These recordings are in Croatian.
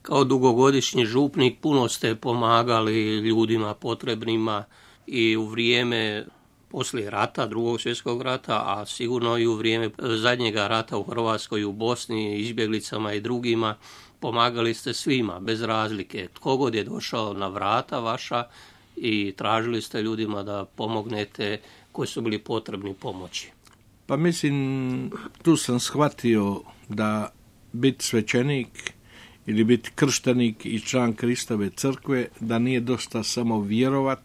Kao dugogodišnji župnik puno ste pomagali ljudima potrebnima i u vrijeme poslije rata, Drugog svjetskog rata, a sigurno i u vrijeme zadnjega rata u Hrvatskoj, u Bosni, izbjeglicama i drugima. Pomagali ste svima, bez razlike. Tko god je došao na vrata vaša i tražili ste ljudima da pomognete koji su bili potrebni pomoći. Pa mislim, tu sam shvatio da biti svećenik ili biti krštenik i član Kristove crkve, da nije dosta samo vjerovat,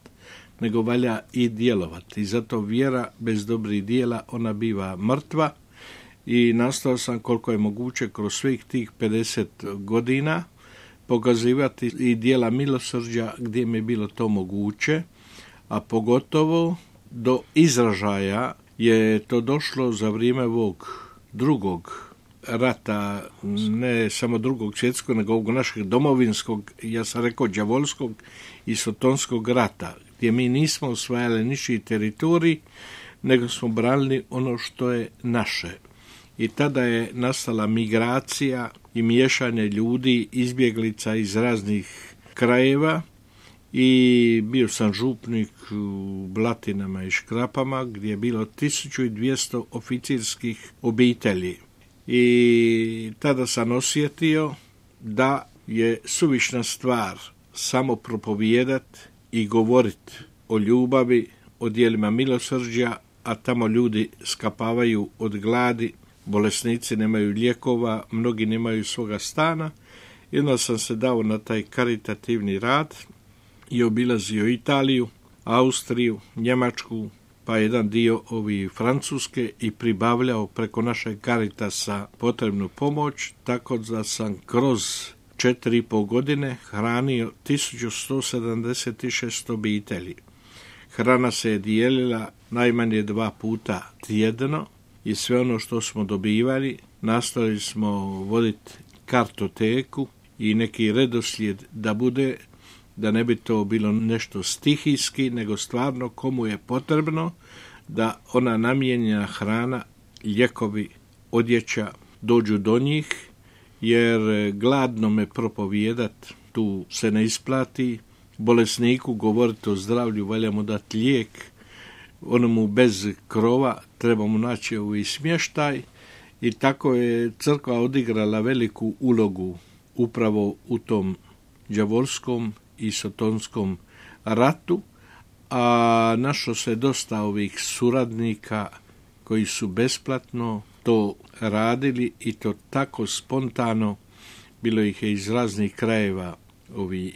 nego valja i djelovat. I zato vjera bez dobrih dijela, ona biva mrtva. I nastao sam koliko je moguće kroz svih tih 50 godina pokazivati i dijela milosrđa gdje mi je bilo to moguće, a pogotovo do izražaja je to došlo za vrijeme ovog drugog rata, ne samo Drugog svjetskog, nego ovog našeg domovinskog, ja sam rekao đavolskog i sotonskog rata, gdje mi nismo osvajali ničiji teritorij, nego smo branili ono što je naše. I tada je nastala migracija i miješanje ljudi, izbjeglica iz raznih krajeva i bio sam župnik u Blatinama i Škrapama gdje je bilo 1200 oficirskih obitelji. I tada sam osjetio da je suvišna stvar samo propovijedat i govorit o ljubavi, o dijelima milosrđa, a tamo ljudi skapavaju od gladi, bolesnici nemaju lijekova, mnogi nemaju svoga stana. Jedno sam se dao na taj karitativni rad i obilazio Italiju, Austriju, Njemačku, pa jedan dio Francuske i pribavljao preko našeg Caritasa potrebnu pomoć, tako da sam kroz 4,5 godine hranio 1176 obitelji. Hrana se je dijelila najmanje 2 puta tjedno i sve ono što smo dobivali nastojali smo voditi kartoteku i neki redoslijed da bude, da ne bi to bilo nešto stihijski, nego stvarno komu je potrebno da ona namijenjena hrana, lijekovi, odjeća dođu do njih, jer gladno me propovijedat tu se ne isplati, bolesniku govoriti o zdravlju, valja mu dati lijek, onomu bez krova treba mu naći i smještaj i tako je crkva odigrala veliku ulogu upravo u tom đavolskom i sotonskom ratu, a našlo se dosta ovih suradnika koji su besplatno to radili i to tako spontano. Bilo ih je iz raznih krajeva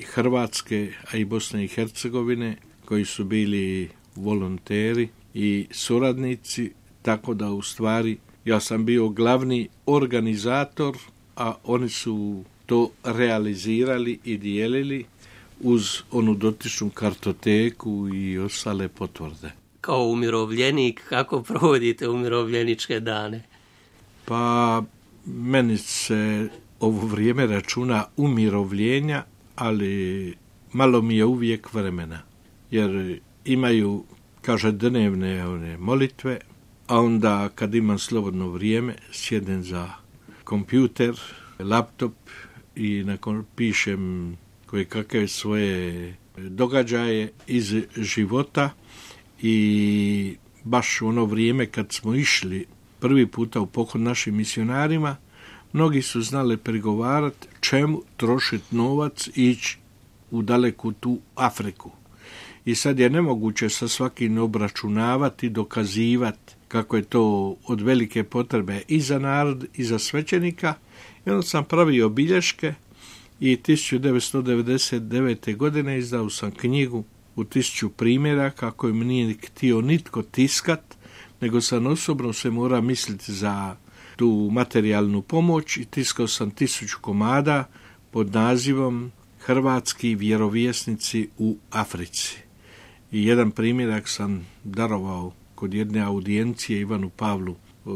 Hrvatske, a i Bosne i Hercegovine, koji su bili volonteri i suradnici, tako da u stvari ja sam bio glavni organizator, a oni su to realizirali i dijelili uz onu dotičnu kartoteku i ostale potvrde. Kao umirovljenik, kako provodite umirovljeničke dane? Pa meni se ovo vrijeme računa umirovljenja, ali malo mi je uvijek vremena, jer imaju, kaže, dnevne molitve, a onda kad imam slobodno vrijeme sjednem za kompjuter, laptop i nakon pišem koje kakve svoje događaje iz života. I baš u ono vrijeme kad smo išli prvi puta u pohod našim misionarima, mnogi su znali pregovarati čemu trošiti novac i ići u daleku tu Afriku. I sad je nemoguće sa svakim obračunavati, dokazivati kako je to od velike potrebe i za narod i za svećenika. I onda sam pravio bilješke i 1999. godine izdao sam knjigu u 1000 primjeraka koju mi nije htio nitko tiskat, nego sam osobno se mora misliti za tu materijalnu pomoć i tiskao sam 1000 komada pod nazivom Hrvatski vjerovjesnici u Africi. I jedan primjerak sam darovao kod jedne audijencije Ivanu Pavlu II.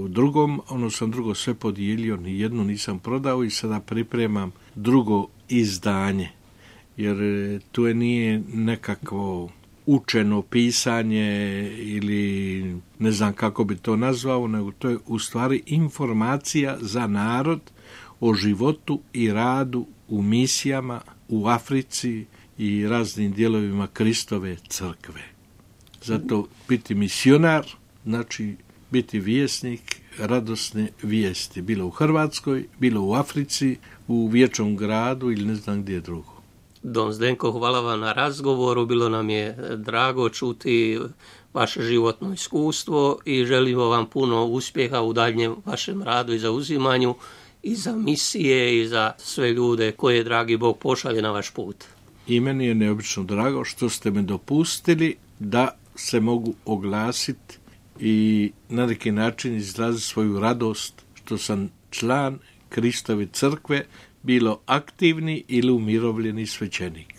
Ono sam drugo sve podijelio, ni jednu nisam prodao i sada pripremam drugo izdanje. Jer tu nije nekakvo učeno pisanje ili ne znam kako bi to nazvao, nego to je u stvari informacija za narod o životu i radu u misijama u Africi i raznim dijelovima Kristove crkve. Zato biti misionar znači biti vjesnik radosne vijesti, bilo u Hrvatskoj, bilo u Africi, u Vječnom gradu ili ne znam gdje drugo. Don Zdenko, hvala vam na razgovoru, bilo nam je drago čuti vaše životno iskustvo i želimo vam puno uspjeha u daljnjem vašem radu i zauzimanju i za misije i za sve ljude koje dragi Bog pošalje na vaš put. I meni je neobično drago što ste me dopustili da se mogu oglasiti i na neki način izraziti svoju radost što sam član Kristove crkve, bilo aktivni ili umirovljeni svećenik.